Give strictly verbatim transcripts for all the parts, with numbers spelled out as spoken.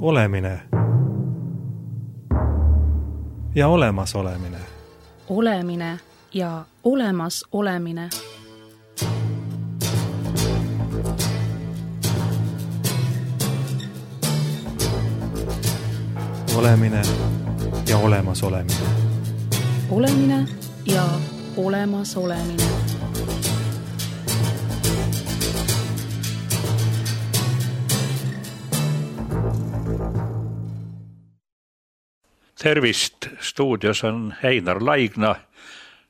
Olemine ja olemas olemine. Olemine ja olemas olemine. Olemine ja olemas olemine. Olemine ja olemas olemine. Tervist, stuudios on Einar Laigna.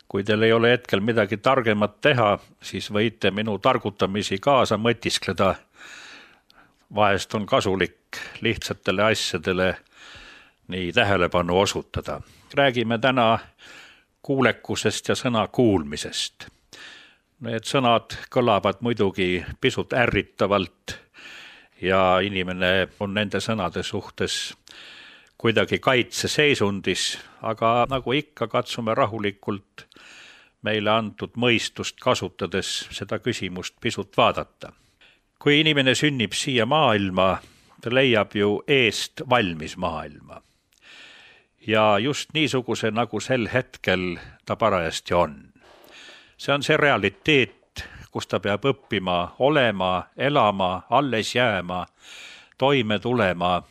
Kui teil ei ole hetkel midagi targemat teha, siis võite minu targutamisi kaasa mõtiskleda. Vahest on kasulik lihtsatele asjadele nii tähelepanu osutada. Räägime täna kuulekusest ja sõna kuulmisest. Need sõnad kõlavad muidugi pisut ärritavalt ja inimene on nende sõnade suhtes kuidagi kaitseseisundis, aga nagu ikka katsume rahulikult meile antud mõistust kasutades seda küsimust pisut vaadata. Kui inimene sünnib siia maailma, ta leiab ju eest valmis maailma. Ja just niisuguse, nagu sel hetkel ta parajasti on. See on see realiteet, kus ta peab õppima, olema, elama, alles jääma, toime tulema.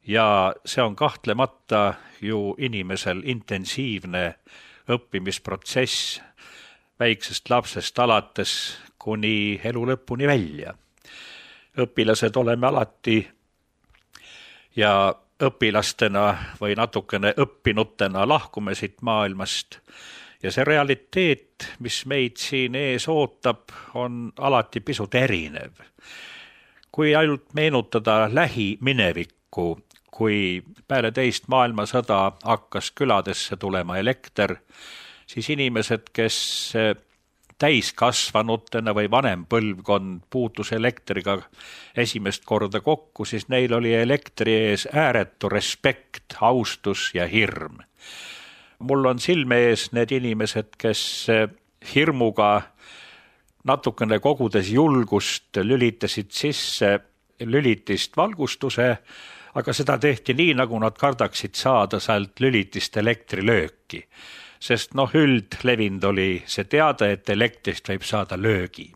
Ja see on kahtlemata ju inimesel intensiivne õppimisprotsess väiksest lapsest alates kuni elu lõpuni välja. Õpilased oleme alati ja õpilastena või natukene õppinutena lahkume siit maailmast. Ja see realiteet, mis meid siin ees ootab, on alati pisut erinev. Kui ainult meenutada lähiminevikku, kui peale teist maailmasõda hakkas küladesse tulema elekter, siis inimesed, kes täiskasvanutena või vanem põlvkond puutus elektriga esimest korda kokku, siis neil oli elektri ees ääretu respekt, austus ja hirm. Mul on silme ees need inimesed, kes hirmuga natukene kogudes julgust lülitasid sisse lülitist valgustuse, aga seda tehti nii, nagu nad kardaksid saada sealt lülitist elektrilööki. Sest noh, üldlevind oli see teada, et elektrist võib saada löögi.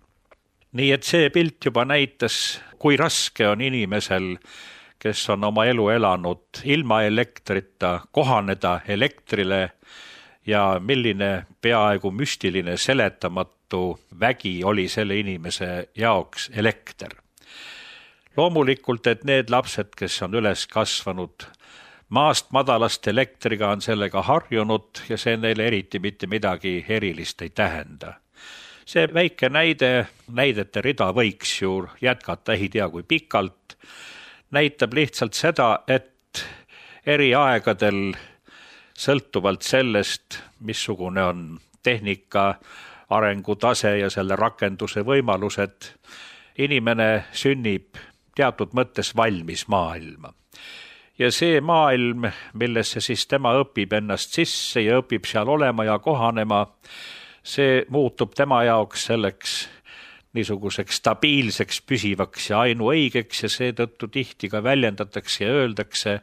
Nii et see pilt juba näitas, kui raske on inimesel, kes on oma elu elanud ilma elektrita, kohaneda elektrile ja milline peaaegu müstiline seletamatu vägi oli selle inimese jaoks elekter. Loomulikult, et need lapsed, kes on üles kasvanud maast madalast elektriga, on sellega harjunud ja see neile eriti mitte midagi erilist ei tähenda. See väike näide, näidete rida võiks ju jätkata ei tea kui pikalt, näitab lihtsalt seda, et eri aegadel sõltuvalt sellest, missugune on tehnika, arengutase ja selle rakenduse võimalused, inimene sünnib teatud mõttes valmis maailma. Ja see maailm, millesse siis tema õpib ennast sisse ja õpib seal olema ja kohanema, see muutub tema jaoks selleks niisuguseks stabiilseks, püsivaks ja ainuõigeks ja seetõttu tihti ka väljendatakse ja öeldakse,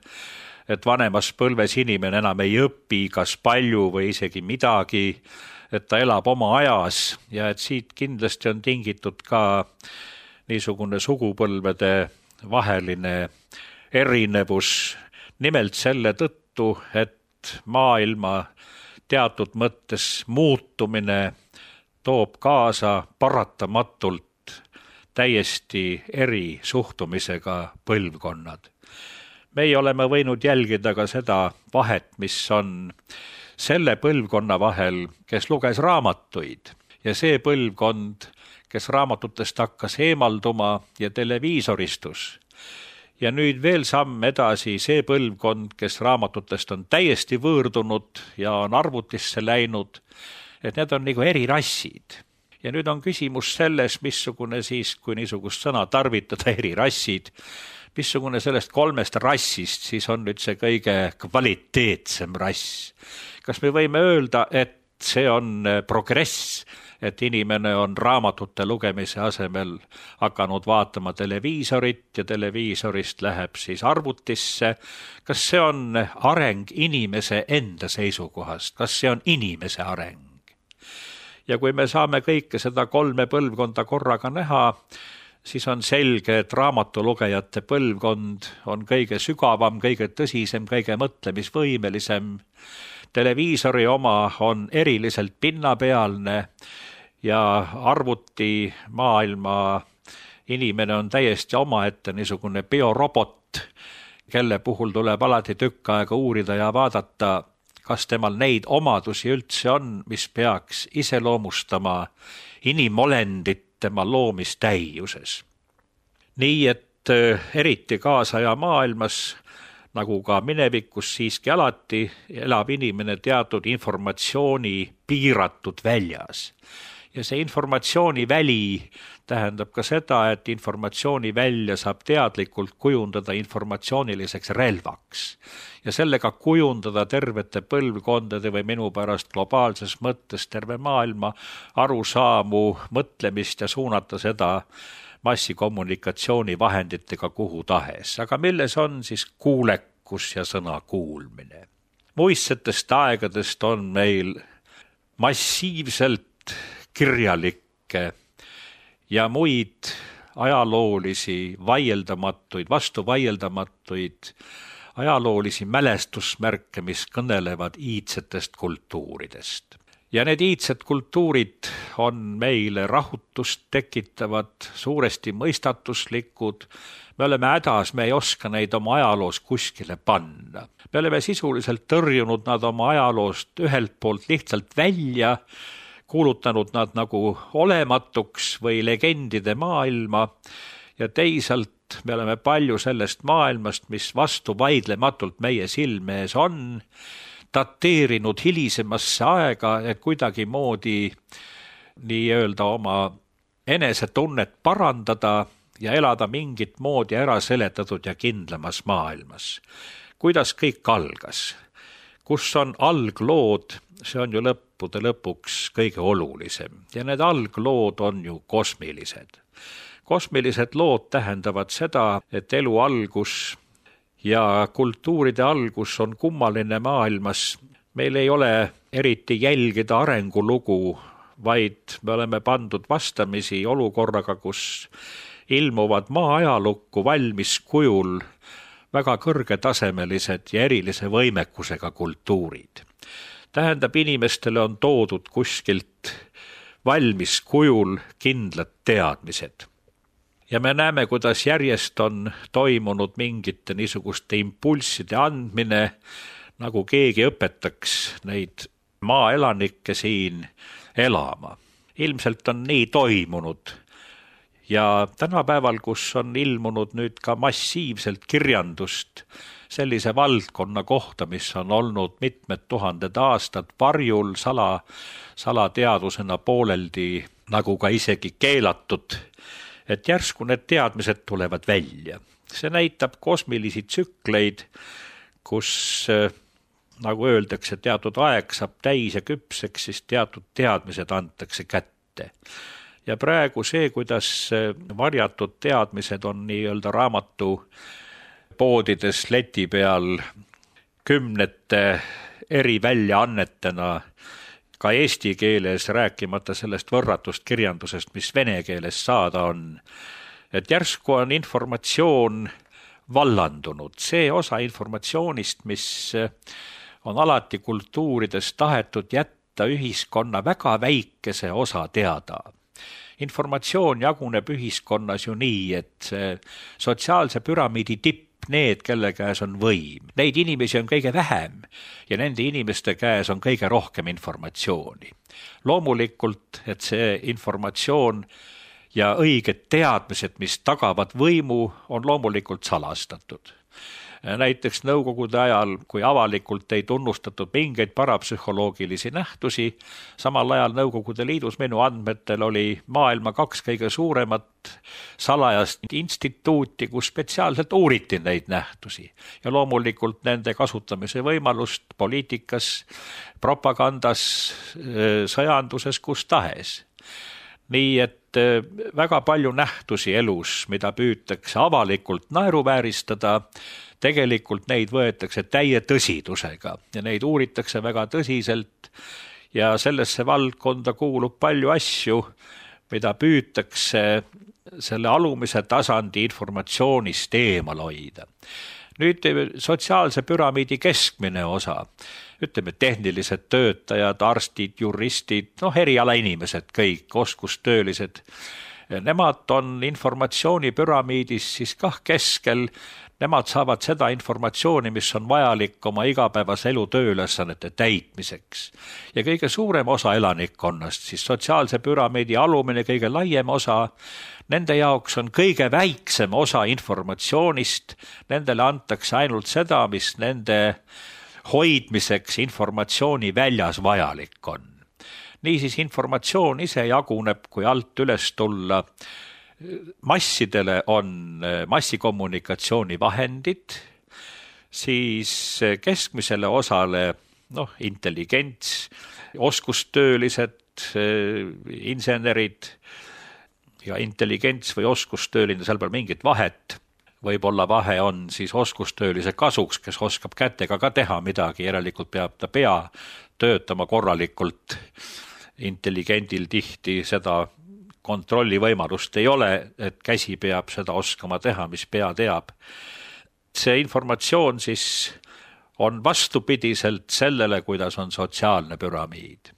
et vanemas põlves inimene enam ei õpi kas palju või isegi midagi, et ta elab oma ajas ja et siit kindlasti on tingitud ka niisugune sugupõlvede vaheline erinevus nimelt selle tõttu, et maailma teatud mõttes muutumine toob kaasa paratamatult täiesti eri suhtumisega põlvkonnad. Meie oleme võinud jälgida ka seda vahet, mis on selle põlvkonna vahel, kes luges raamatuid ja see põlvkond, kes raamatutest hakkas eemalduma ja televiisoristus. Ja nüüd veel samm edasi see põlvkond, kes raamatutest on täiesti võõrdunud ja on arvutisse läinud, et need on nagu eri rassid. Ja nüüd on küsimus selles, missugune siis, kui niisugust sõna tarvitada eri rassid, missugune sellest kolmest rassist siis on nüüd see kõige kvaliteetsem rass. Kas me võime öelda, et see on progress, et inimene on raamatute lugemise asemel hakanud vaatama televiisorit ja televiisorist läheb siis arvutisse. Kas see on areng inimese enda seisukohast? Kas see on inimese areng? Ja kui me saame kõike seda kolme põlvkonda korraga näha, siis on selge, et raamatulugejate põlvkond on kõige sügavam, kõige tõsisem, kõige mõtlemisvõimelisem. Televiisori oma on eriliselt pinnapealne ja arvuti maailma inimene on täiesti omaette niisugune biorobot, kelle puhul tuleb alati tükk aega uurida ja vaadata, kas temal neid omadusi üldse on, mis peaks iseloomustama inimolendit tema loomistäiuses. Nii et eriti kaasaja maailmas, nagu ka minevikus siiski alati, elab inimene teatud informatsiooni piiratud väljas. Ja see informatsiooni väli tähendab ka seda, et informatsiooni välja saab teadlikult kujundada informatsiooniliseks relvaks. Ja sellega kujundada tervete põlvkondade või minu pärast globaalses mõttes terve maailma arusaamu, mõtlemist ja suunata seda massikommunikatsioonivahenditega kuhu tahes. Aga milles on siis kuulekus ja sõna kuulmine? Muistsetest aegadest on meil massiivselt kirjalikke ja muid ajaloolisi, vaieldamatuid, vastu vaieldamatuid ajaloolisi mälestusmärke, mis kõnelevad iidsetest kultuuridest. Ja need iidsed kultuurid on meile rahutust tekitavad, suuresti mõistatuslikud. Me oleme hädas, me ei oska neid oma ajaloos kuskile panna. Me oleme sisuliselt tõrjunud nad oma ajaloost ühelt poolt lihtsalt välja, kuulutanud nad nagu olematuks või legendide maailma ja teisalt me oleme palju sellest maailmast, mis vastu vaidlematult meie silme ees on, dateerinud hilisemasse aega, et kuidagi moodi nii-öelda oma enesetunnet parandada ja elada mingit moodi ära seletatud ja kindlamas maailmas. Kuidas kõik algas? Kus on alglood, see on ju lõppude lõpuks kõige olulisem. Ja need alglood on ju kosmilised. Kosmilised lood tähendavad seda, et elu algus ja kultuuride algus on kummaline maailmas. Meil ei ole eriti jälgida arengulugu, vaid me oleme pandud vastamisi olukorraga, kus ilmuvad maa ajalukku valmis kujul väga kõrgetasemelised ja erilise võimekusega kultuurid. Tähendab, inimestele on toodud kuskilt valmis kujul kindlad teadmised. Ja me näeme, kuidas järjest on toimunud mingite niisuguste impulsside andmine, nagu keegi õpetaks neid maaelanikke siin elama. Ilmselt on nii toimunud. Ja tänapäeval, kus on ilmunud nüüd ka massiivselt kirjandust sellise valdkonna kohta, mis on olnud mitmed tuhanded aastad varjul sala, salateadusena pooleldi, nagu ka isegi keelatud, et järsku need teadmised tulevad välja. See näitab kosmilisi tsükleid, kus, nagu öeldakse, teatud aeg saab täis ja küpseks, siis teatud teadmised antakse kätte. Ja praegu see, kuidas varjatud teadmised on nii-öelda raamatu poodides leti peal kümnete eri väljaannetena, ka eesti keeles, rääkimata sellest võrratust kirjandusest, mis vene keeles saada on. Et järsku on informatsioon vallandunud. See osa informatsioonist, mis on alati kultuurides tahetud jätta ühiskonna väga väikese osa teada. Informatsioon jaguneb ühiskonnas ju nii, et see sotsiaalse püramiidi tipp, need, kelle käes on võim. Neid inimesi on kõige vähem ja nende inimeste käes on kõige rohkem informatsiooni. Loomulikult, et see informatsioon ja õiged teadmised, mis tagavad võimu, on loomulikult salastatud. Näiteks nõukogude ajal, kui avalikult ei tunnustatud mingeid parapsühholoogilisi nähtusi, samal ajal Nõukogude Liidus minu andmetel oli maailma kaks kõige suuremat salajast instituuti, kus spetsiaalselt uuriti neid nähtusi. Ja loomulikult nende kasutamise võimalust poliitikas, propagandas, sõjanduses, kus tahes. nii et väga palju nähtusi elus, mida püütakse avalikult naeruvääristada, tegelikult neid võetakse täie tõsidusega ja neid uuritakse väga tõsiselt ja sellesse valdkonda kuulub palju asju, mida püütakse selle alumise tasandi informatsioonist eemal hoida. Nüüd sotsiaalse püramiidi keskmine osa, ütleme tehnilised töötajad, arstid, juristid, noh eriala inimesed, kõik oskustöölised, nemad on informatsiooni püramiidis siis kah keskel, nemad saavad seda informatsiooni, mis on vajalik oma igapäevase elu tööülesannete täitmiseks. Ja kõige suurem osa elanikkonnast, siis sotsiaalse püramiidi alumine kõige laiem osa, nende jaoks on kõige väiksem osa informatsioonist, nendele antakse ainult seda, mis nende hoidmiseks informatsiooni väljas vajalik on. Niisiis informatsioon ise jaguneb, kui alt üles tulla, massidele on massikommunikatsiooni vahendid, siis keskmisele osale noh, intelligents, oskustöölised, insenerid ja intelligents või oskustööline, seal peal mingit vahet. Võib-olla vahe on siis oskustöölise kasuks, kes oskab kätega ka teha midagi, järelikult peab ta pea töötama korralikult. Intelligendil tihti seda kontrolli võimalust ei ole, et käsi peab seda oskama teha, mis pea teab. See informatsioon siis on vastupidiselt sellele, kuidas on sotsiaalne püramiid.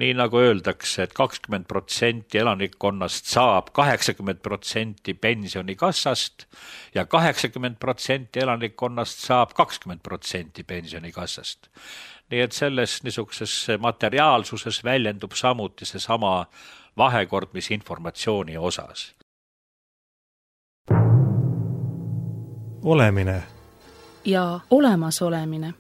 Nii nagu öeldakse, et kakskümmend protsenti elanikkonnast saab kaheksakümmend protsenti pensionikassast ja kaheksakümmend protsenti elanikkonnast saab kakskümmend protsenti pensionikassast. Nii et selles niisuguses materiaalsuses väljendub samuti see sama vahekord, mis informatsiooni osas. Olemine ja olemasolemine.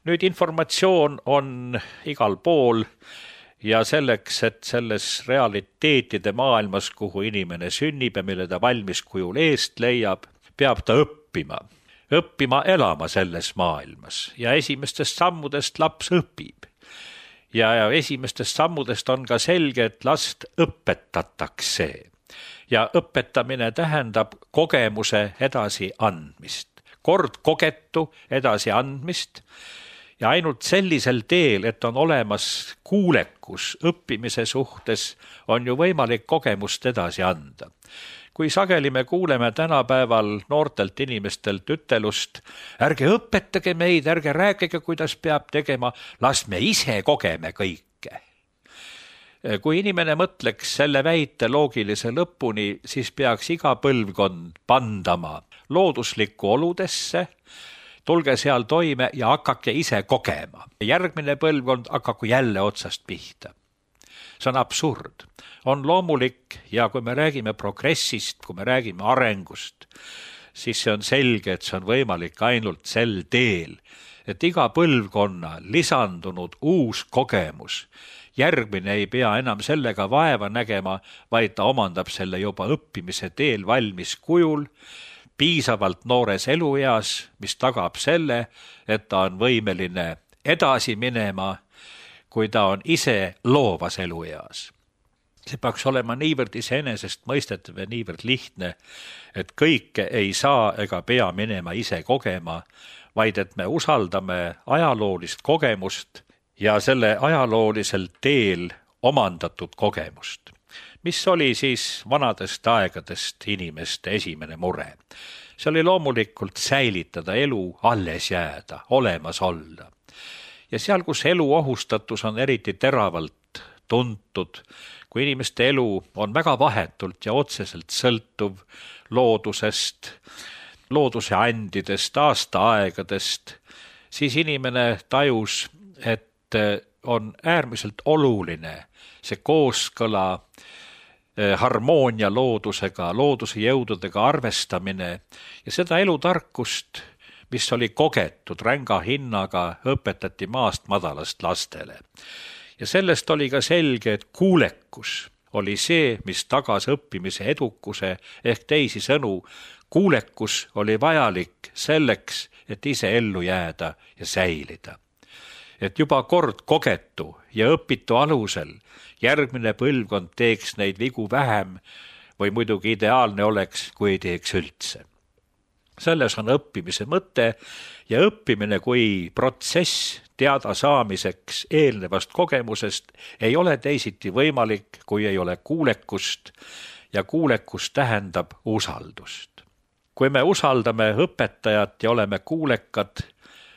Nüüd informatsioon on igal pool ja selleks, et selles realiteetide maailmas, kuhu inimene sünnib ja mille ta valmis kujul eest leiab, peab ta õppima. Õppima elama selles maailmas ja esimestest sammudest laps õpib. Ja esimestest sammudest on ka selge, et last õpetatakse. Ja õpetamine tähendab kogemuse edasi andmist. Kord kogetu edasi andmist. Ja ainult sellisel teel, et on olemas kuulekus õppimise suhtes, on ju võimalik kogemust edasi anda. Kui sageli me kuuleme tänapäeval noortelt inimestelt ütelust, ärge õpetage meid, ärge rääkige, kuidas peab tegema, las me ise kogeme kõike. Kui inimene mõtleks selle väite loogilise lõpuni, siis peaks iga põlvkond pandama looduslikku oludesse, tulge seal toime ja hakake ise kogema. Järgmine põlvkond hakaku jälle otsast pihta. See on absurd. On loomulik ja kui me räägime progressist, kui me räägime arengust, siis see on selge, et see on võimalik ainult sel teel, et iga põlvkonna lisandunud uus kogemus, järgmine ei pea enam sellega vaeva nägema, vaid ta omandab selle juba õppimise teel valmis kujul, piisavalt noores elueas, mis tagab selle, et ta on võimeline edasi minema, kui ta on ise loovas elueas. See peaks olema niivõrd iseenesest mõistetav ja niivõrd lihtne, et kõike ei saa ega pea minema ise kogema, vaid et me usaldame ajaloolist kogemust ja selle ajaloolisel teel omandatud kogemust. Mis oli siis vanadest aegadest inimeste esimene mure? See oli loomulikult säilitada elu, alles jääda, olemas olla. Ja seal, kus elu ohustatus on eriti teravalt tuntud, kui inimeste elu on väga vahetult ja otseselt sõltuv loodusest, looduse andidest, aastaaegadest, siis inimene tajus, et on äärmiselt oluline see kooskõla, harmoonia loodusega, looduse jõududega arvestamine ja seda elutarkust, mis oli kogetud ränga hinnaga, õpetati maast madalast lastele. Ja sellest oli ka selge, et kuulekus oli see, mis tagas õppimise edukuse ehk teisi sõnu. kuulekus oli vajalik selleks, et ise ellu jääda ja säilida. Et juba kord kogetu ja õpitu alusel järgmine põlvkond teeks neid vigu vähem või muidugi ideaalne oleks, kui ei teeks üldse. Selles on õppimise mõte ja õppimine kui protsess teada saamiseks eelnevast kogemusest ei ole teisiti võimalik, kui ei ole kuulekust ja kuulekus tähendab usaldust. Kui me usaldame õpetajat ja oleme kuulekad,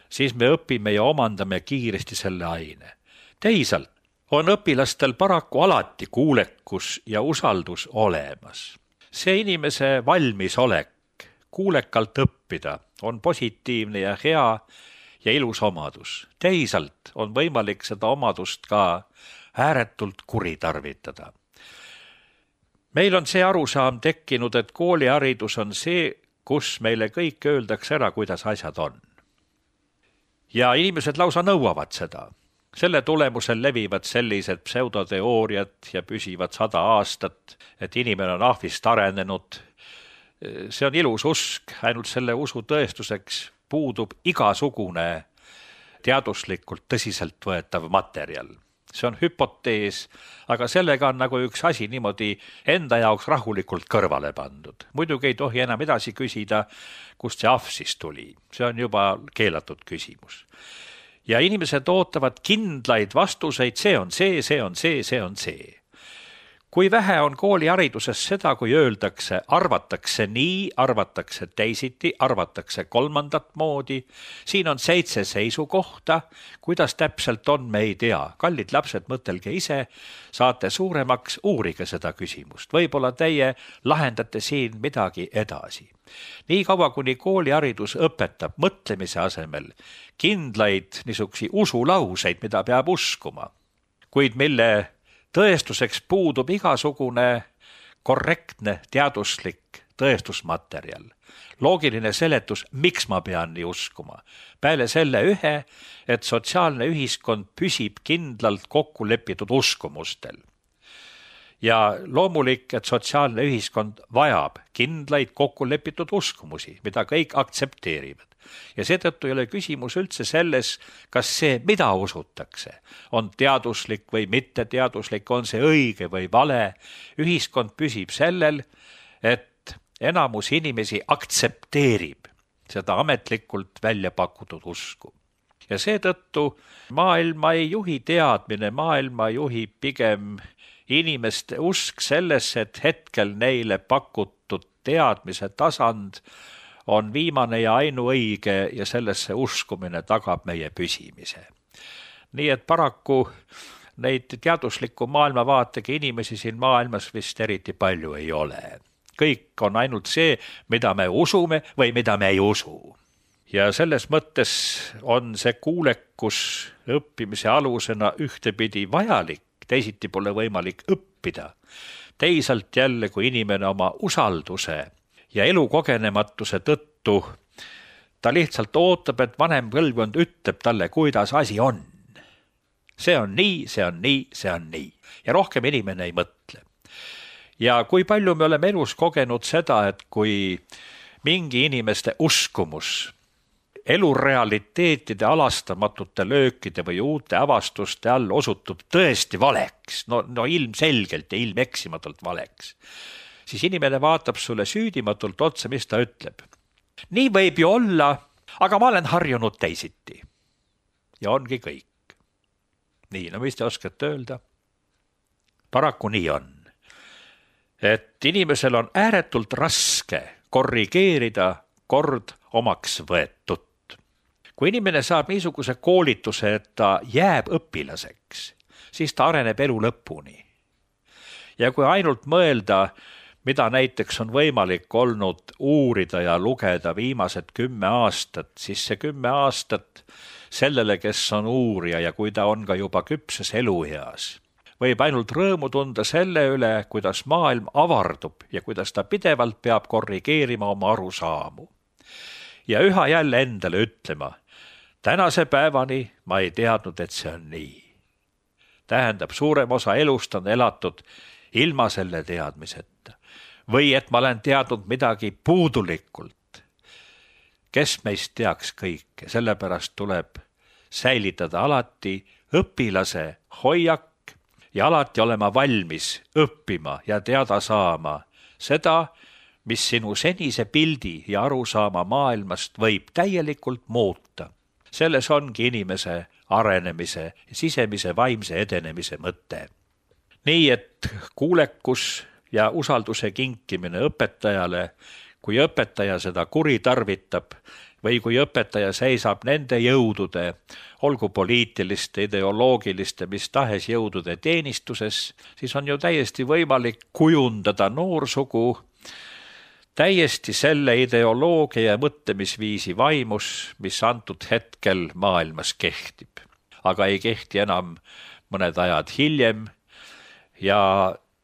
siis me õpime ja omandame kiiresti selle aine. Teisalt on õpilastel paraku alati kuulekus ja usaldus olemas. See inimese valmisolek kuulekalt õppida on positiivne ja hea ja ilus omadus. Teisalt on võimalik seda omadust ka ääretult kuritarvitada. Meil on see arusaam tekkinud, et kooliharidus on see, kus meile kõik öeldakse ära, kuidas asjad on. Ja inimesed lausa nõuavad seda. Selle tulemusel levivad sellised pseudoteooriad ja püsivad sada aastat, et inimene on ahvist arenenud. See on ilus usk, ainult selle usu tõestuseks puudub igasugune teaduslikult tõsiselt võetav materjal. See on hüpotees, aga sellega on nagu üks asi niimoodi enda jaoks rahulikult kõrvale pandud. Muidugi ei tohi enam edasi küsida, kust see ahv siis tuli. See on juba keelatud küsimus. Ja inimesed ootavad kindlaid vastuseid, see on see, see on see, see on see. Kui vähe on koolihariduses seda, kui öeldakse, arvatakse nii, arvatakse teisiti, arvatakse kolmandat moodi, siin on seitse seisukohta, kuidas täpselt on, me ei tea. Kallid lapsed, mõtelge ise, saate suuremaks, uurige seda küsimust. Võib-olla teie lahendate siin midagi edasi. Nii kaua, kuni kooliharidus õpetab mõtlemise asemel kindlaid niisugusi usulauseid, mida peab uskuma, kuid mille tõestuseks puudub igasugune korrektne teaduslik tõestusmaterjal. Loogiline seletus, miks ma pean nii uskuma. Peale selle ühe, et sotsiaalne ühiskond püsib kindlalt kokku lepitud uskumustel. Ja loomulik, et sotsiaalne ühiskond vajab kindlaid kokku lepitud uskumusi, mida kõik aktsepteerivad. Ja seetõttu ei ole küsimus üldse selles, kas see, mida usutakse, on teaduslik või mitte teaduslik, on see õige või vale. Ühiskond püsib sellel, et enamus inimesi aktsepteerib seda ametlikult välja pakutud usku. Ja seetõttu maailma ei juhi teadmine, maailma juhib pigem inimeste usk sellesse, et hetkel neile pakutud teadmise tasand on viimane ja ainuõige ja sellesse uskumine tagab meie püsimise. Nii et paraku neid teadusliku maailmavaatega inimesi siin maailmas vist eriti palju ei ole. Kõik on ainult see, mida me usume või mida me ei usu. Ja selles mõttes on see kuulekus õppimise alusena ühtepidi vajalik, teisiti pole võimalik õppida. Teisalt jälle, kui inimene oma usalduse ja elukogenematuse tõttu ta lihtsalt ootab, et vanem põlvkond ütleb talle, kuidas asi on. See on nii, see on nii, see on nii. Ja rohkem inimene ei mõtle. Ja kui palju me oleme elus kogenud seda, et kui mingi inimeste uskumus elurealiteetide alastamatute löökide või uute avastuste all osutub tõesti valeks, no, no ilmselgelt ja ilmeksimatult valeks, siis inimene vaatab sulle süüdimatult otsa, mis ta ütleb. Nii võib ju olla, aga ma olen harjunud teisiti. Ja ongi kõik. Nii, no mis te oskate öelda? Paraku nii on. Et inimesel on ääretult raske korrigeerida kord omaks võetud. Kui inimene saab niisuguse koolituse, et ta jääb õpilaseks, siis ta areneb elu lõpuni. Ja kui ainult mõelda, mida näiteks on võimalik olnud uurida ja lugeda viimased kümme aastat, siis see kümme aastat sellele, kes on uurija ja kui ta on ka juba küpses elueas, võib ainult rõõmu tunda selle üle, kuidas maailm avardub ja kuidas ta pidevalt peab korrigeerima oma arusaamu. Ja üha jälle endale ütlema, tänase päevani ma ei teadnud, et see on nii. Tähendab, suurem osa elust on elatud ilma selle teadmiseta. või et ma olen teadnud midagi puudulikult. Kes meist teaks kõike, sellepärast tuleb säilitada alati õpilase hoiak ja alati olema valmis õppima ja teada saama seda, mis sinu senise pildi ja arusaama maailmast võib täielikult muuta. Selles ongi inimese arenemise ja sisemise vaimse edenemise mõte. Nii et kuulekus ja usalduse kinkimine õpetajale, kui õpetaja seda kuritarvitab või kui õpetaja seisab nende jõudude, olgu poliitiliste, ideoloogiliste, mis tahes jõudude teenistuses, siis on ju täiesti võimalik kujundada noorsugu täiesti selle ideoloogia ja mõtlemisviisi vaimus, mis antud hetkel maailmas kehtib. Aga ei kehti enam mõned ajad hiljem ja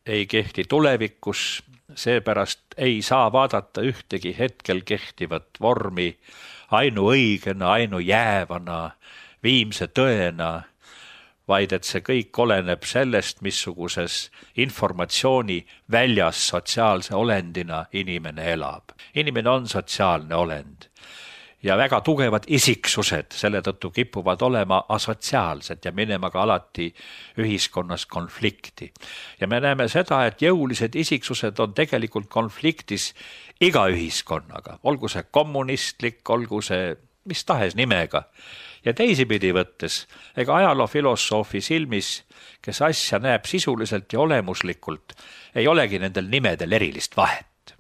ei kehti tulevikus, seepärast ei saa vaadata ühtegi hetkel kehtivat vormi ainuõigena, ainujäävana, viimse tõena, vaid et see kõik oleneb sellest, missuguses informatsiooni väljas sotsiaalse olendina inimene elab. Inimene on sotsiaalne olend ja väga tugevad isiksused selle tõttu kipuvad olema asotsiaalsed ja minema ka alati ühiskonnas konflikti. Ja me näeme seda, et jõulised isiksused on tegelikult konfliktis iga ühiskonnaga, olgu see kommunistlik, olgu see mis tahes nimega. Ja teisipidi võttes, ega ajaloofilosoofi silmis, kes asja näeb sisuliselt ja olemuslikult, ei olegi nendel nimedel erilist vahet.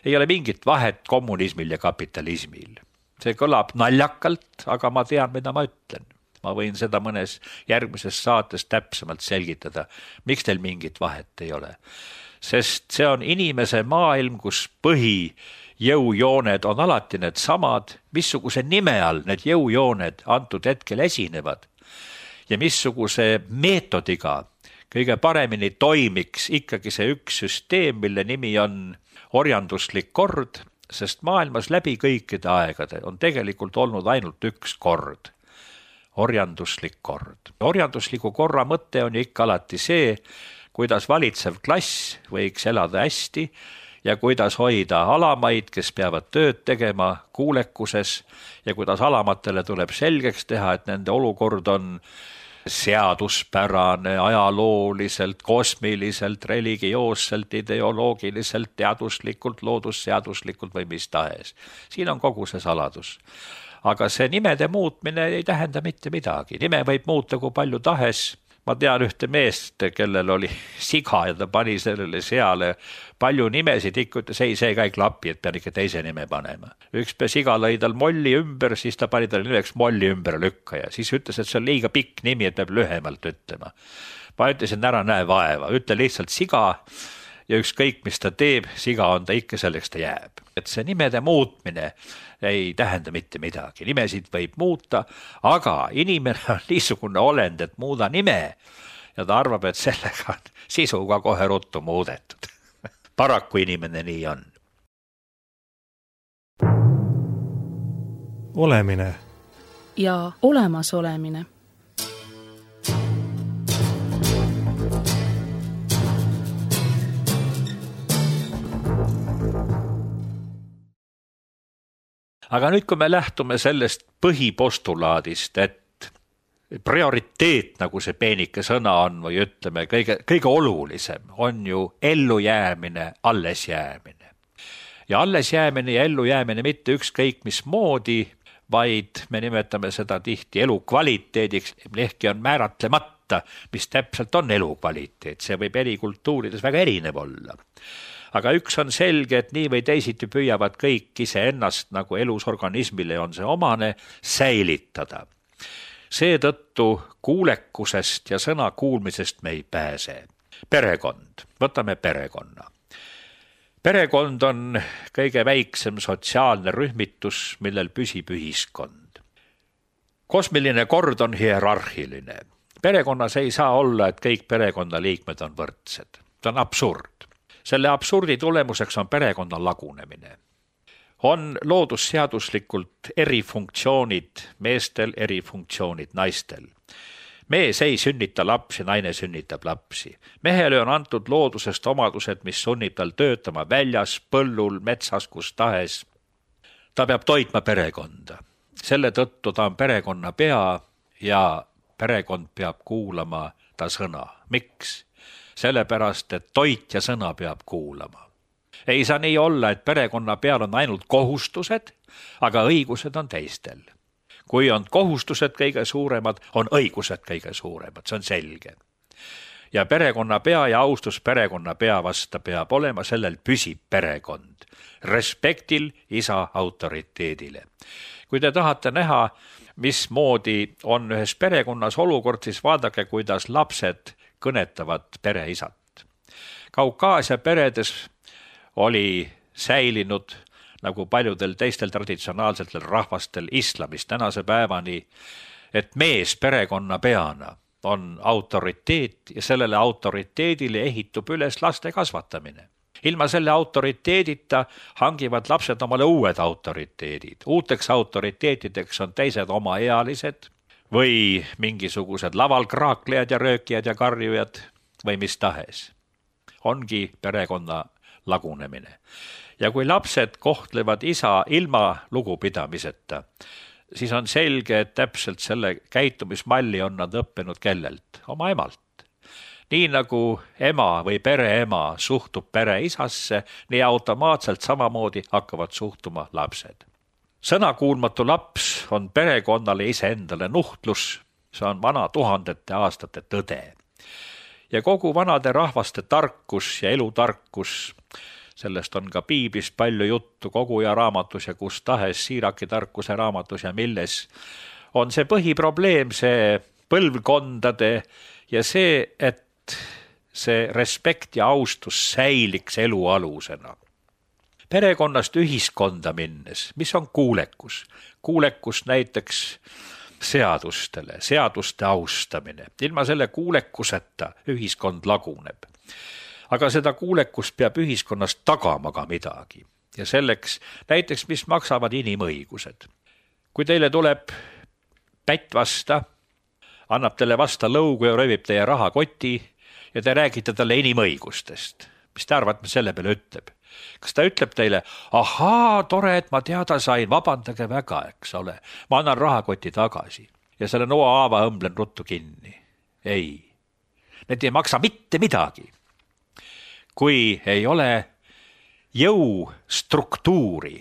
Ei ole mingit vahet kommunismil ja kapitalismil. See kõlab naljakalt, aga ma tean, mida ma ütlen. Ma võin seda mõnes järgmises saates täpsemalt selgitada, miks teil mingit vahet ei ole. Sest see on inimese maailm, kus põhi jõujooned on alati need samad, missuguse nime all need jõujooned antud hetkel esinevad ja missuguse meetodiga kõige paremini toimiks ikkagi see üks süsteem, mille nimi on orjanduslik kord, sest maailmas läbi kõikide aegade on tegelikult olnud ainult üks kord, orjanduslik kord. Orjandusliku korra mõte on ju ikka alati see, kuidas valitsev klass võiks elada hästi ja kuidas hoida alamaid, kes peavad tööd tegema kuulekuses ja kuidas alamatele tuleb selgeks teha, et nende olukord on seaduspärane, ajalooliselt, kosmiliselt, religioosselt, ideoloogiliselt, teaduslikult, loodusseaduslikult või mis tahes. Siin on kogu see saladus. Aga see nimede muutmine ei tähenda mitte midagi. Nime võib muuta kui palju tahes. Ma tean ühte meest, kellel oli siga ja ta pani sellele seale palju nimesid, ikka ütles, ei, see ka ei klapi, et pean ikka teise nime panema. Üks siga lõi tal molli ümber, siis ta pani tal nimeks molli ümber lükka ja siis ütles, et see on liiga pikk nimi, et peab lühemalt ütlema. Ma ütlesin, ära näe vaeva, ütle lihtsalt siga ja ükskõik, mis ta teeb, siga on ta ikka, selleks ta jääb. Et see nimede muutmine ei tähenda mitte midagi. Nimesid võib muuta, aga inimene on niisugune olend, et muuda nime ja ta arvab, et sellega on sisuga kohe ruttu muudetud. Paraku inimene nii on. Olemine ja olemasolemine. Aga nüüd, kui me lähtume sellest põhipostulaadist, et prioriteet, nagu see peenike sõna on, või ütleme, kõige, kõige olulisem on ju ellujäämine, allesjäämine. Ja allesjäämine ja ellujäämine mitte ükskõik mis moodi, vaid me nimetame seda tihti elukvaliteediks, ehkki on määratlemata, mis täpselt on elukvaliteet. See võib eri kultuurides väga erinev olla. Aga üks on selge, et nii või teisiti püüavad kõik iseennast, nagu elus organismile on see omane, säilitada. Seetõttu kuulekusest ja sõna kuulmisest me ei pääse. Perekond. Võtame perekonna. Perekond on kõige väiksem sotsiaalne rühmitus, millel püsib ühiskond. Kosmiline kord on hierarhiline. Perekonnas ei saa olla, et kõik perekonnaliikmed on võrdsed. See on absurd. Selle absurdi tulemuseks on perekonna lagunemine. On loodusseaduslikult eri funktsioonid meestel, eri funktsioonid naistel. mees ei sünnita lapsi, naine sünnitab lapsi. Mehele on antud loodusest omadused, mis sunnib tal töötama väljas, põllul, metsas, kus tahes. Ta peab toitma perekonda. Selle tõttu ta on perekonna pea ja perekond peab kuulama ta sõna. Miks? Sellepärast, et toit ja sõna peab kuulama. Ei saa nii olla, et perekonna peal on ainult kohustused, aga õigused on teistel. Kui on kohustused kõige suuremad, on õigused kõige suuremad, see on selge. Ja perekonna pea ja austus perekonna pea vasta peab olema, sellel püsib perekond. Respektil isa autoriteedile. Kui te tahate näha, mismoodi on ühes perekonnas olukord, siis vaadake, kuidas lapsed kõnetavad pereisat. Kaukaasia peredes oli säilinud, nagu paljudel teistel traditsionaalsetel rahvastel islamist tänase päevani, et mees perekonna peana on autoriteet ja sellele autoriteedile ehitub üles laste kasvatamine. Ilma selle autoriteedita hangivad lapsed omale uued autoriteedid. Uuteks autoriteetideks on teised omaealised või mingisugused laval kraaklejad ja röökijad ja karjujad või mis tahes. Ongi perekonna lagunemine. Ja kui lapsed kohtlevad isa ilma lugupidamiseta, siis on selge, et täpselt selle käitumismalli on nad õppinud kellelt, oma emalt. Nii nagu ema või pereema suhtub pere isasse, nii automaatselt samamoodi hakkavad suhtuma lapsed. Sõnakuulmatu laps on perekonnale iseendale nuhtlus, see on vana tuhandete aastate tõde. Ja kogu vanade rahvaste tarkus ja elutarkus, sellest on ka piiblis palju juttu Koguja raamatus ja kus tahes Siiraki tarkuse raamatus ja milles, on see põhiprobleem, see põlvkondade ja see, et see respekt ja austus säiliks elu alusena. Perekonnast ühiskonda minnes, mis on kuulekus? Kuulekus näiteks seadustele, seaduste austamine. Ilma selle kuulekuseta ühiskond laguneb. Aga seda kuulekust peab ühiskonnas tagama ka midagi. Ja selleks näiteks, mis maksavad inimõigused. Kui teile tuleb pätt vasta, annab teile vasta lõugu ja röövib teie rahakoti ja te räägite talle inimõigustest. Mis te arvad, mis selle peale ütleb? Kas ta ütleb teile, ahaa, tore, et ma teada sain, vabandage väga, eks ole. Ma annan rahakoti tagasi ja selle noa haava õmblen ruttu kinni. Ei, need ei maksa mitte midagi. Kui ei ole jõustruktuuri,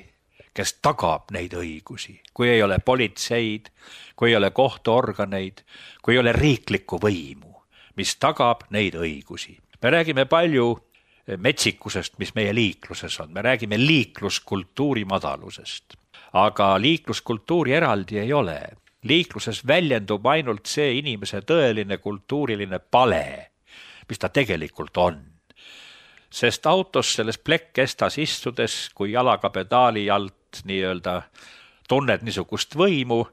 kes tagab neid õigusi, kui ei ole politseid, kui ei ole kohtuorganeid, kui ei ole riiklikku võimu, mis tagab neid õigusi. Me räägime palju metsikusest, mis meie liikluses on. Me räägime liikluskultuuri madalusest. Aga liikluskultuuri eraldi ei ole. Liikluses väljendub ainult see inimese tõeline kultuuriline pale, mis ta tegelikult on. Sest autos selles plekkestas istudes, kui jalaga pedaali alt nii-öelda tunned niisugust võimu,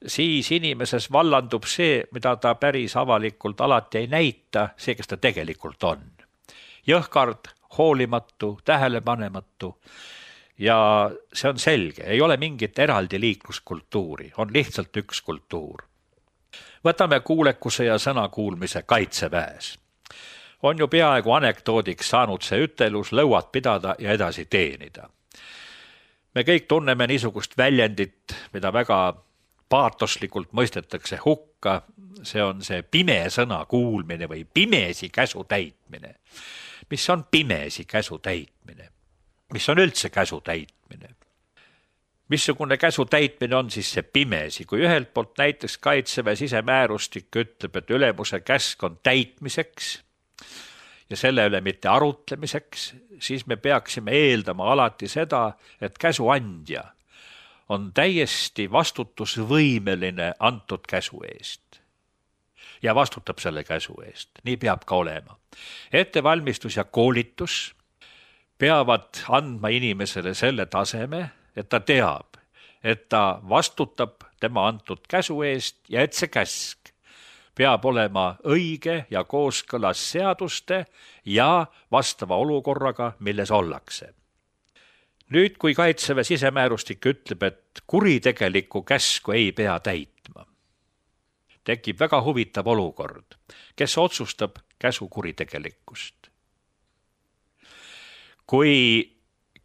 siis inimeses vallandub see, mida ta päris avalikult alati ei näita, see, kes ta tegelikult on. Jõhkard, hoolimatu, tähelepanematu ja see on selge, ei ole mingit eraldi liikluskultuuri, on lihtsalt üks kultuur. Võtame kuulekuse ja sõnakuulmise kaitseväes. On ju peaaegu anekdoodiks saanud see ütelus lõuad pidada ja edasi teenida. Me kõik tunneme niisugust väljendit, mida väga paatoslikult mõistetakse hukka, see on see pime sõna kuulmine või pimesi käsu täitmine. Mis on pimesi käsu täitmine? Mis on üldse käsu täitmine? Missugune käsu täitmine on siis see pimesi? Kui ühelt poolt näiteks kaitseväe sisemäärustik ütleb, et ülemuse käsk on täitmiseks ja selle üle mitte arutlemiseks, siis me peaksime eeldama alati seda, et käsuandja on täiesti vastutusvõimeline antud käsu eest. Ja vastutab selle käsu eest. Nii peab ka olema. Ettevalmistus ja koolitus peavad andma inimesele selle taseme, et ta teab, et ta vastutab tema antud käsu eest ja et see käsk peab olema õige ja kooskõlas seaduste ja vastava olukorraga, milles ollakse. Nüüd, kui kaitseväe sisemäärustik ütleb, et kuritegelikku käsku ei pea täitma, tekib väga huvitav olukord, kes otsustab käsu kuritegelikkust. Kui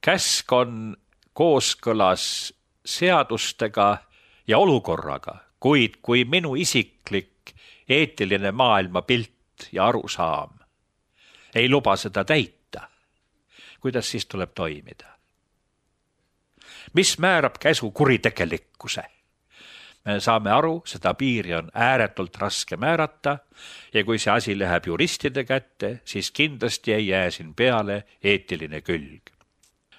käsk on kooskõlas seadustega ja olukorraga, kuid kui minu isiklik eetiline maailmapilt ja arusaam ei luba seda täita, kuidas siis tuleb toimida? Mis määrab käsu kuritegelikkuse? Me saame aru, seda piiri on ääretult raske määrata ja kui see asi läheb juristide kätte, siis kindlasti ei jää siin peale eetiline külg.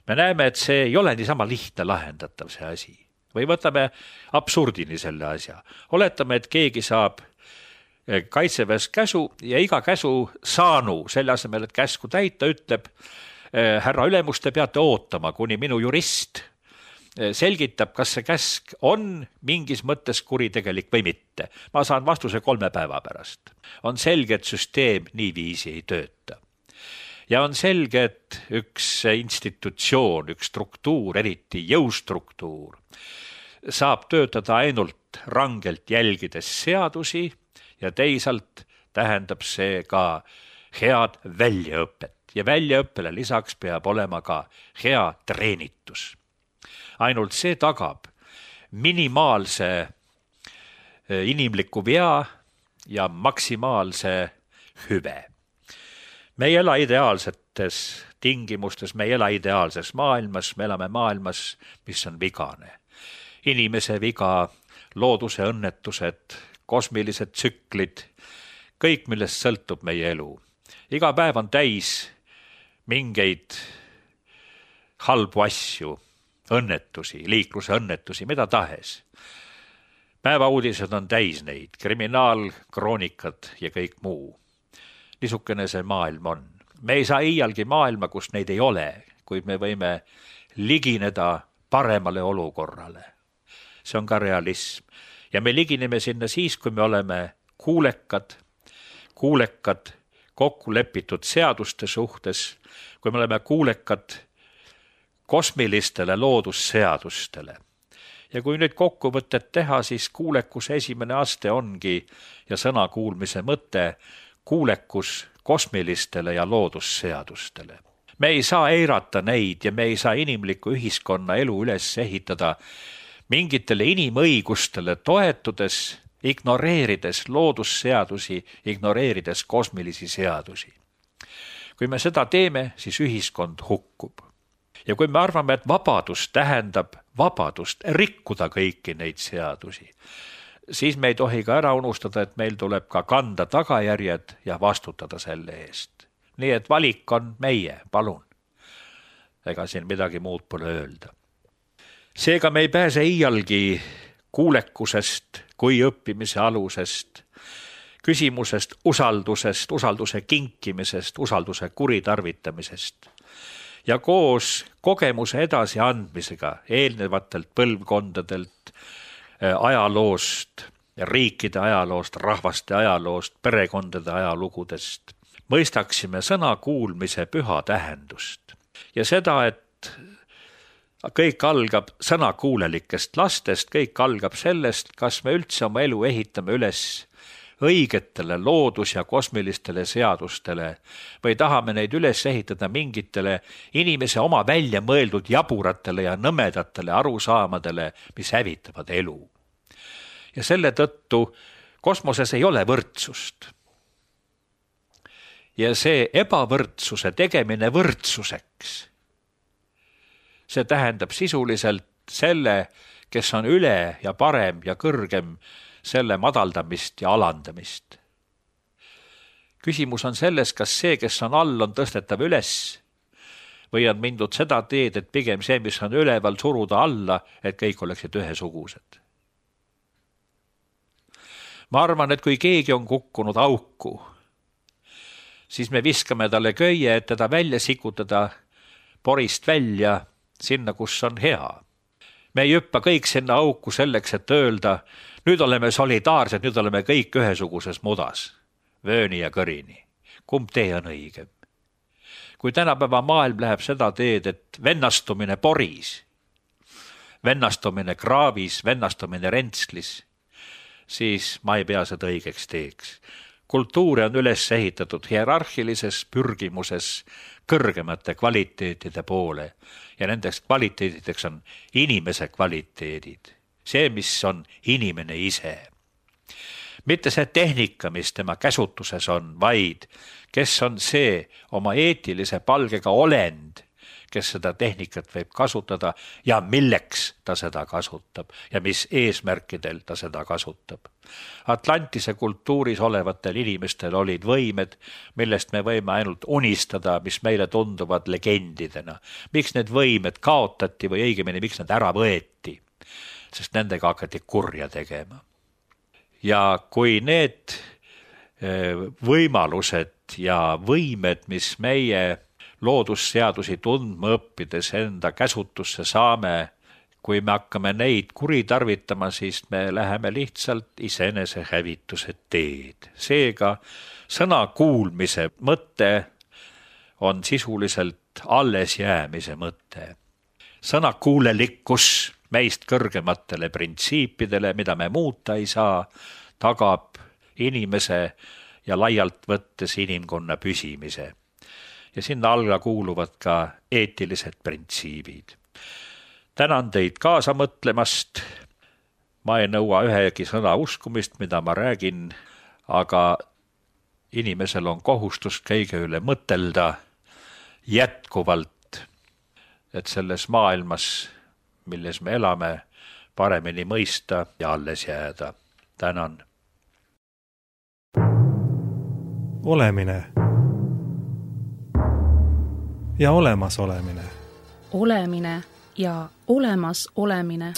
Me näeme, et see ei ole niisama lihtne lahendatav see asi. Või võtame absurdini selle asja. Oletame, et keegi saab kaitseväes käsu ja iga käsu saanu, selle asemel, et käsku täita, ütleb, härra ülemus, te peate ootama, kuni minu jurist selgitab, kas see käsk on mingis mõttes kuritegelik või mitte. Ma saan vastuse kolme päeva pärast. On selge, et süsteem niiviisi ei tööta. Ja on selge, et üks institutsioon, üks struktuur, eriti jõustruktuur, saab töötada ainult rangelt jälgides seadusi ja teisalt tähendab see ka head väljaõpet. Ja väljaõppele lisaks peab olema ka hea treenitus. Ainult see tagab minimaalse inimliku vea ja maksimaalse hüve. Me ei ela ideaalsetes tingimustes, me ei ela ideaalses maailmas, me elame maailmas, mis on vigane. Inimese viga, looduse õnnetused, kosmilised tsüklid, kõik, millest sõltub meie elu. Iga päev on täis mingeid halbu asju, õnnetusi, liikluse õnnetusi, mida tahes. Päevauudised on täis neid, kriminaalkroonikad ja kõik muu. Niisugune see maailm on. Me ei saa iialgi maailma, kus neid ei ole, kuid me võime ligineda paremale olukorrale. See on ka realism. Ja me ligineme sinna siis, kui me oleme kuulekad, kuulekad kokku lepitud seaduste suhtes, kui me oleme kuulekad kosmilistele loodusseadustele. Ja kui nüüd kokkuvõtted teha, siis kuulekuse esimene aste ongi ja sõna kuulmise mõte kuulekus kosmilistele ja loodusseadustele. Me ei saa eirata neid ja me ei saa inimliku ühiskonna elu üles ehitada mingitele inimõigustele toetudes, ignoreerides loodusseadusi, ignoreerides kosmilisi seadusi. Kui me seda teeme, siis ühiskond hukkub. Ja kui me arvame, et vabadus tähendab vabadust rikkuda kõiki neid seadusi, siis me ei tohi ka ära unustada, et meil tuleb ka kanda tagajärjed ja vastutada selle eest. Nii et valik on meie, palun. Ega siin midagi muud pole öelda. Seega me ei pääse iialgi kuulekusest kui õppimise alusest, küsimusest usaldusest, usalduse kinkimisest, usalduse kuritarvitamisest. Ja koos kogemuse edasi andmisega eelnevatelt põlvkondadelt, ajaloost, riikide ajaloost, rahvaste ajaloost, perekondade ajalugudest, mõistaksime sõna kuulmise püha tähendust. Ja seda, et kõik algab sõnakuulelikest lastest, kõik algab sellest, kas me üldse oma elu ehitame üles õigetele loodus- ja kosmilistele seadustele või tahame neid üles ehitada mingitele inimese oma välja mõeldud jaburatele ja nõmedatele arusaamadele, mis hävitavad elu. Ja selle tõttu kosmoses ei ole võrdsust. Ja see ebavõrdsuse tegemine võrdsuseks, see tähendab sisuliselt selle, kes on üle ja parem ja kõrgem, selle madaldamist ja alandamist. Küsimus on selles, kas see, kes on all, on tõstetav üles või on mindud seda teed, et pigem see, mis on üleval, suruda alla, et kõik oleksid ühesugused. Ma arvan, et kui keegi on kukkunud auku, siis me viskame talle köie, et teda välja sikutada porist välja sinna, kus on hea. Me ei hüppa kõik sinna auku selleks, et öelda, nüüd oleme solidaarsed, nüüd oleme kõik ühesuguses mudas, vööni ja kõrini. Kumb tee on õigem? Kui tänapäeva maailm läheb seda teed, et vennastumine poris, vennastumine kraavis, vennastumine rentslis, siis ma ei pea seda õigeks teeks. Kultuuri on üles ehitatud hierarhilises pürgimuses kõrgemate kvaliteetide poole ja nendeks kvaliteedideks on inimese kvaliteedid. See, mis on inimene ise. Mitte see tehnika, mis tema käsutuses on, vaid kes on see oma eetilise palgega olend, kes seda tehnikat võib kasutada ja milleks ta seda kasutab ja mis eesmärkidel ta seda kasutab. Atlantise kultuuris olevatel inimestel olid võimed, millest me võime ainult unistada, mis meile tunduvad legendidena. Miks need võimed kaotati või õigemini, miks need ära võeti? Sest nendega hakati kurja tegema. Ja kui need võimalused ja võimed, mis meie loodusseadusi tundma õppides enda käsutusse saame, kui me hakkame neid kuritarvitama, siis me läheme lihtsalt iseenese hävituse teed. Seega sõna kuulmise mõte on sisuliselt alles jäämise mõte. Sõna kuulelikkus meist kõrgematele printsiipidele, mida me muuta ei saa, tagab inimese ja laialt võttes inimkonna püsimise. Ja sinna alla kuuluvad ka eetilised printsiibid. Tänan teid kaasa mõtlemast. Ma ei nõua ühegi sõna uskumist, mida ma räägin, aga inimesel on kohustus kõige üle mõtelda jätkuvalt, et selles maailmas, milles me elame, paremini mõista ja alles jääda. Tänan. Olemine ja olemas olemine. Olemine ja olemas olemine.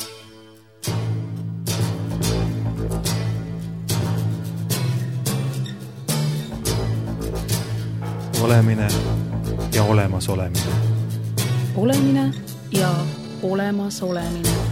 Olemine ja olemas olemine. Olemine ja olemas olemine.